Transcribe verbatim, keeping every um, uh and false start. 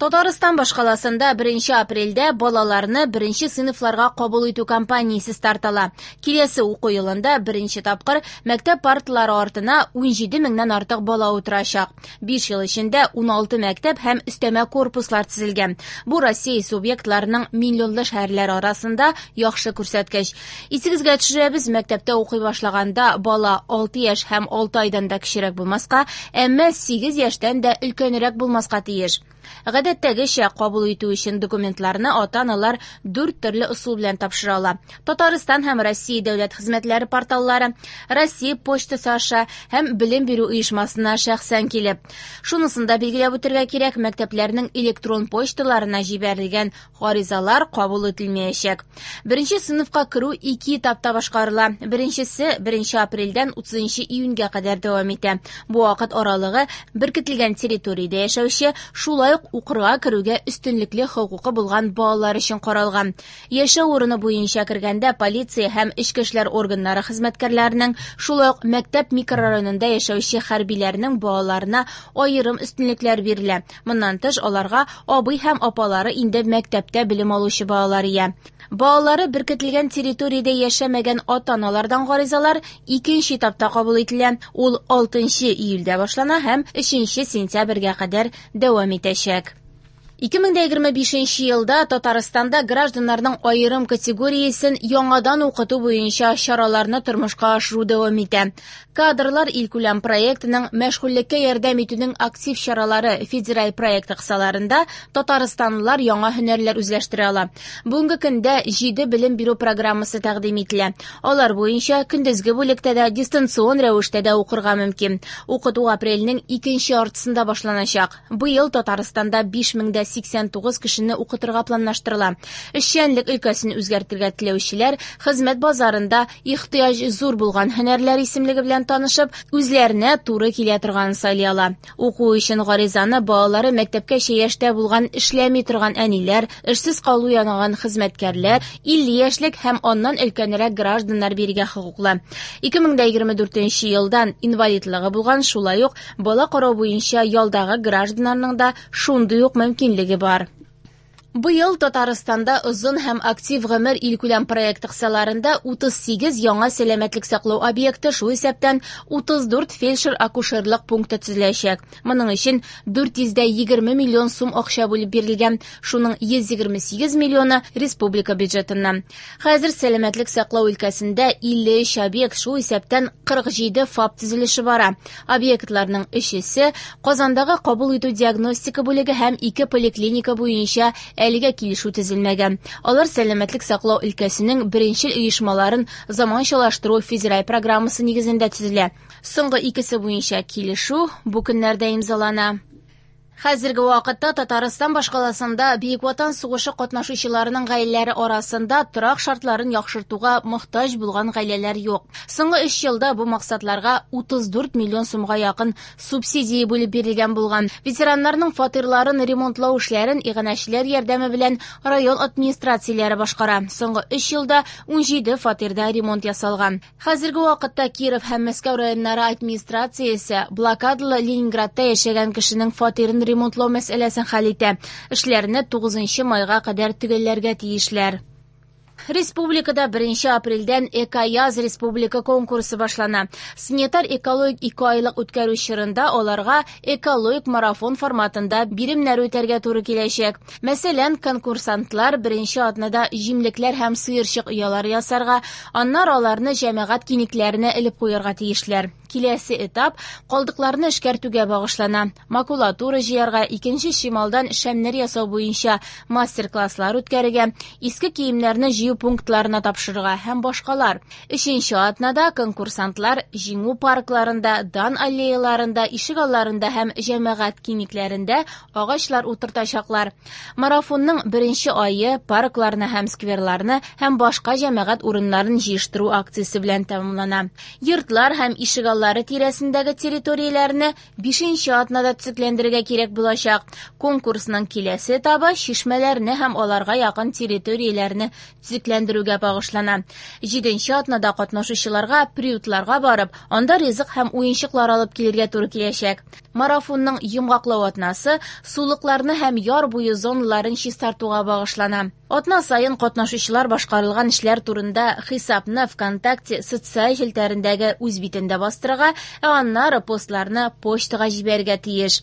Татарстан башкаласында беренче апрельдә балаларны беренче сыйныфларга кабул итү кампаниясе старт ала. Киләсе уку елында беренче тапкыр мәктәп парталары артына унҗиде меңнән артык бала утырачак. Биш ел эчендә уналты мәктәп һәм өстәмә корпуслар төзелгән. Бу Россия субъектларының миллионлы шәһәрләре арасында яхшы күрсәткеч. Исегезгә төшерәбез, мәктәптә укый башлаганда бала алты яшь һәм алты айдан да кечерәк булмаска, әмма сигез яшьтән дә өлкәнрәк булмаска тиеш. Гадәттәгечә кабул итү өчен документларны ата-аналар дүрт төрле ысул белән тапшыра ала. Татарстан һәм Россия дәүләт хезмәтләре порталлары, Россия почтасы аша һәм белем бирү оешмасына шәхсән килеп. Шунысын да билгеләп үтәргә кирәк, мәктәпләрнең электрон почталарына җибәрелгән гаризалар кабул ителмәячәк. Беренче сыйныфка керү ике этапта башкарыла. Беренчесе беренче апрельдән утызынчы июньгә кадәр дәвам итә. Бу вакыт аралыгы беркетелгән территориядә яшәүче, шулай ук укырга керүгә өстенлекле хокукы булган балалар өчен каралган. Яшәү урыны буенча кергәндә полиция һәм эчке эшләр органнары хезмәткәрләренең, шулай ук мәктәп микрорайонында яшәүче хәрбиләрнең балаларына аерым өстенлекләр бирелә. Моннан тыш, аларга абый һәм апалары инде мәктәптә белем алучы балалар ия. Балалары беркетелгән территориядә яшәмәгән ата-аналардан гаризалар икенче этапта кабул ителә. Ул алтынчы июльдә башлана һәм өченче сентябрьгә кадәр дәвам итәчәк. Ике мең дә егерме бишенче елда Татарстанда гражданнарның аерым категориясен яңадан укыту буенча чараларны тормышка ашыру дәвам итә. Кадрлар илкүләм проектының мәшгульлеккә ярдәм итүнең актив чаралары федераль проекты кысаларында татарстанлылар яңа һөнәрләр үзләштерә ала. Бүгенге көндә җиде белем бирү программасы тәкъдим ителә. Алар буенча көндезге бүлектә дә, дистанцион рәвештә дә укырга мөмкин. Укыту апрельнең икенче яртысында башланачак. Быел Татарстанда биш мең дә сиксән тугыз кешене укытырга планлаштырыла. Эшчәнлек өлкәсен үзгәртергә теләүчеләр хезмәт базарында ихтыяҗ зур булган һөнәрләр исемлеге белән танышып, үзләренә туры килә торган сайлый ала. Уку өчен гаризаны балалары мәктәпкәчә яшьтә булган эшләми торган әниләр, эшсез калу янаган хезмәткәрләр, илле яшьлек һәм аннан өлкәнрәк гражданнар бирергә хокуклы. Ике мең дә егерме дүртенче елдан инвалидлыгы булган, шулай ук бала карау буенча ялдагы гражданнарның да шундый ук мөмкинлеге бар. Быел Татарстанда озын һәм актив гомер илкүләм проекты кысаларында утыз сигез яңа сәламәтлек саклау объекты, шул исәптән утыз дүрт фельдшер-акушерлык пункты төзеләчәк. Моның өчен дүрт йөз дә егерме миллион сум акча бүлеп бирелгән, шуның йөз егерме сигез миллионы республика бюджетыннан. Хәзер сәламәтлек саклау өлкәсендә илле өч объект, шул исәптән кырык җиде ФАП төзелеше бара. Объектларның өчесе Казандагы кабул итү диагностика бүлеге һәм ике поликлиника буенча әлегә килешү төзелмәгән. Алар сәламәтлек саклау өлкәсенең беренчел оешмаларын заманчалаштыру федераль программасы нигезендә төзелә. Соңгы икесе буенча килешү бу көннәрдә имзалана. Хәзерге вакытта Татарстан башкаласында Бөек Ватан сугышы катнашучыларының гаиләләре арасында торак шартларын яхшыртуга мохтаҗ булган гаиләләр юк. Соңгы өч елда бу максатларга утыз дүрт миллион сумга якын субсидия бүлеп бирелгән булган. Ветераннарның фатирларын ремонтлау эшләрен иганәчеләр ярдәме белән район администрацияләре башкара. Соңгы өч елда унҗиде фатирда ремонт ясалган. Хәзерге вакытта Киров һәм Мәскәү районнары администрациясе блокадалы Ленинградта яшәгән кешенең фатирын ремонтлау мәсьәләсен хәл итә. Эшләрне тугызынчы майга кадәр төгәлләргә тиешләр. Республикада беренче апрельдән Экояз республика конкурсы башлана. Санитар экологик ике айлык үткәрү чорында аларга экологик марафон форматында биремнәр үтәргә туры киләчәк. Мәсәлән, конкурсантлар беренче атнада җимлекләр һәм сыерчык оялары ясарга, аннары аларны җәмәгать киңлекләренә элеп куярга тиешләр. Киләсе этап калдыкларны эшкәртүгә багышлана. Макулатура җыярга, икенче чималдан шәмнәр ясау буенча мастер-класслар үткәрергә, иске киемнәрне җыю пунктларына тапшырырга һәм башкалар. Өченче атнада конкурсантлар җиңү паркларында, дан аллеяларында, ишегалларында һәм җәмәгать киңлекләрендә агачлар утыртачаклар. Марафонның беренче ае паркларны һәм скверларны һәм башка җәмәгать урыннарын җыештыру акциясе белән тәмамлана. Йортлар һәм ишегаллары тирәсендәге территорияләрне бишенче атнада төзекләндерергә кирәк булачак. Конкурсның киләсе этабы чишмәләрне һәм аларга якын территорияләрне төзекләндерүгә багышлана. Җиденче атнада катнашучыларга приютларга барып, анда ризык һәм уенчыклар алып килергә туры киләчәк. Марафонның йомгаклау атнасы сулыкларны һәм яр буе зоналарын чистартуга багышлана. Атна саен катнашучылар башкарылган эшләр турында хисапны ВКонтакте социаль челтәрендәге үз битендә бастырырга, ә аннары постларны почтага җибәрергә тиеш.